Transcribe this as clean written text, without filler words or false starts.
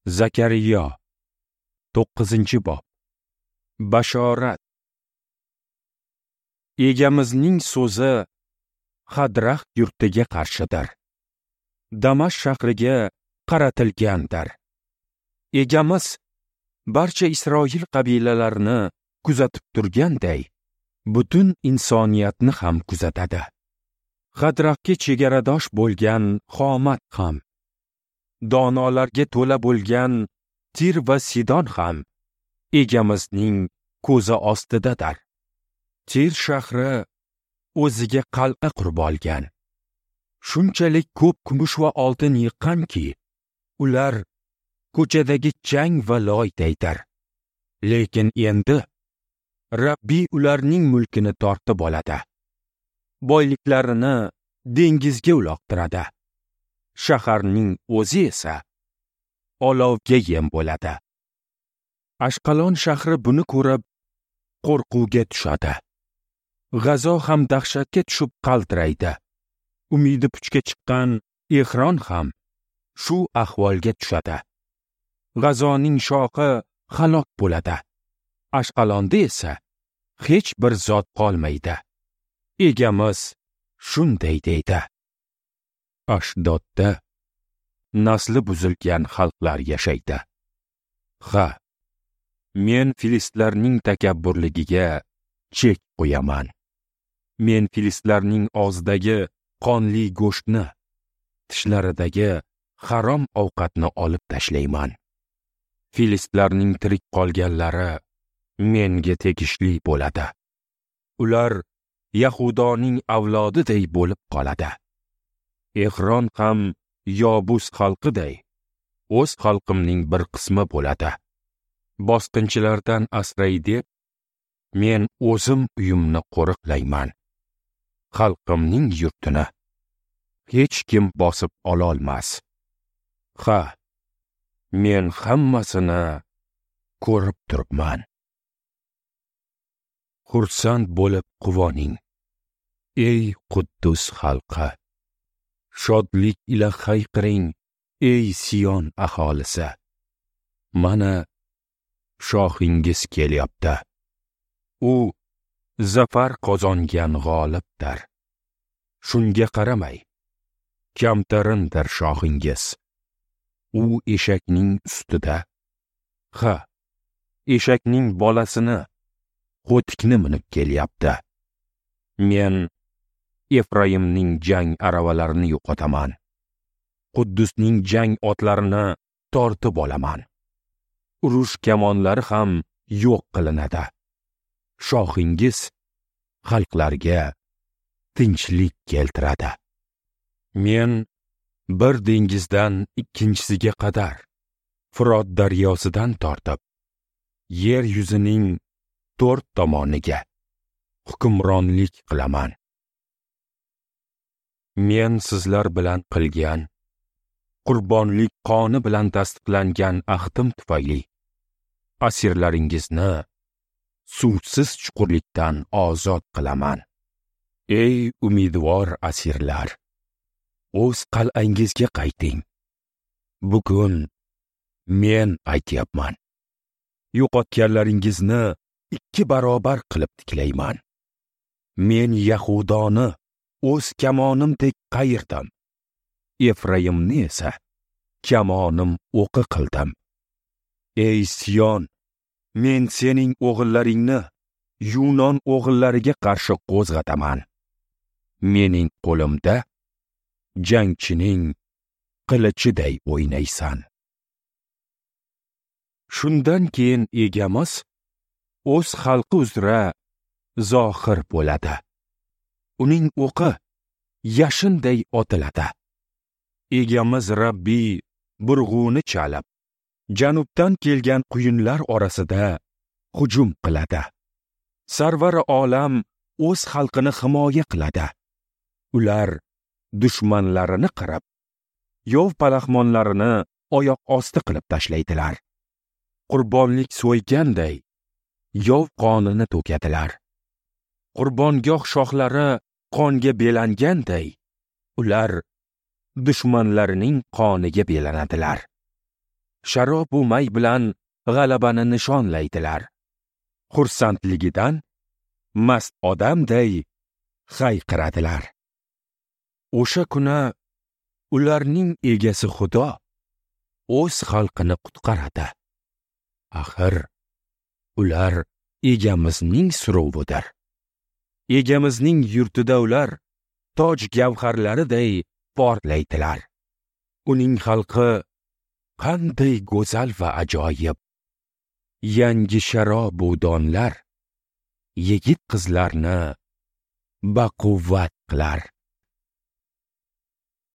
Zakariyo 9-bob. Bashorat. Egamizning so'zi Hadrax yurtiga qarshidir. Damashq shahriga qaratilgandir. Egamiz barcha Isroil qabilalarini kuzatib turganday, butun insoniyatni ham kuzatadi. Hadraxga chegaradosh bo'lgan Xomat ham, donolarga to'la bo'lgan Tir va Sidon ham Egamizning ko'zi ostidadir. Tir shahri o'ziga qal'a qurib olgan. Shunchalik ko'p kumush va oltin yiqqanki, ular ko'chadagi chang va loydaydir. Lekin endi Rabbiy ularning mulkini tortib oladi. Boyliklarini dengizga uloqtiradi. Shaharning o'zi esa olovga yem bo'ladi. Ashqalon shahri buni ko'rib qo'rquvga tushadi. G'azo ham dahshatga tushib qaltiraydi. Umidi puchga chiqqan Ehron ham shu ahvolga tushadi. G'azoning shoxi halok bo'ladi. Ashqalonda esa hech bir zot qolmaydi. Egamiz shunday deydi. Ashdodda nasli buzilgan xalqlar yashaydi. Ha, men filistlarning takabburligiga chek qo'yaman. Men filistlarning og'zidagi qonli go'shtni, tishlaridagi harom ovqatni olib tashlayman. Filistlarning tirik qolganlari menga tegishli bo'ladi. Ular Yahudoning avlodiday bo'lib qoladi. Ehron ham Yobus xalqiday o'z xalqimning bir qismi bo'ladi. Bosqinchilardan asray deb men o'zim uyimni qo'riqlayman. Xalqimning yurtini hech kim bosib ololmas. Ha, men hammasini ko'rib turibman. Xursand bo'lib quvoning, ey Quddus xalqi. Shodlik ila hayqiring, ey Sion aholisi. Mana shohingiz kelyapti. U zafar qozongan g'olibdir. Shunga qaramay, kamtarindir shohingiz. U eshakning ustida, ha, eshakning bolasini, qo'tikni minib kelyapti. Men Efraimning jang aravalarini yo'qotaman. Quddusning jang otlarini tortib olaman. Urush kamonlari ham yo'q qilinadi. Shohingiz xalqlarga tinchlik keltiradi. Men bir dengizdan ikkinchisiga qadar, Firot daryosidan tortib, yer yuzining to'rt tomoniga hukmronlik qilaman. Men sizlar bilan qilgan qurbonlik qoni bilan tasdiqlangan ahdim tufayli asirlaringizni suvsiz chuqurlikdan ozod qilaman. Ey umidvor asirlar, o'z qal'angizga qayting. Bugun men aytyapman. Yo'qotganlaringizni 2 barobar qilib tiklayman. Men Yahudoni o'z kamonimdek qayirdim. Efraimni esa kamonim o'qi qildim. Ey Sion, men sening o'g'illaringni Yunon o'g'illariga qarshi qo'zg'ataman. Mening qo'limda jangchining qilichiday o'ynaysan. Shundan keyin egamiz o'z xalqi uzra zohir bo'ladi. Uning o'qi yashinday otiladi. Egamiz Rabbiy burg'uni chalib, janubdan kelgan quyunlar orasida hujum qiladi. Sarvar olam o'z xalqini himoya qiladi. Ular dushmanlarini qirib, yov palaxmonlarini oyoq osti qilib tashlaydilar. Qurbonlik so'yganday yov qonini to'kadilar. Qurbongoh shoxlari qonga belanganday ular dushmanlarining qoniga belanadilar. Sharob u may bilan g'alabani nishonlaydilar. Xursandligidan mast odamday hayqiradilar. O'sha kuni ularning egasi Xudo o'z xalqini qutqaradi. Axir ular egamizning suruvidir. Egamizning yurtida ular toj gavharlariday porlaydilar. Uning xalqi qanday go'zal va ajoyib! Yangi sharob u donlar yigit qizlarni baquvvat qilar.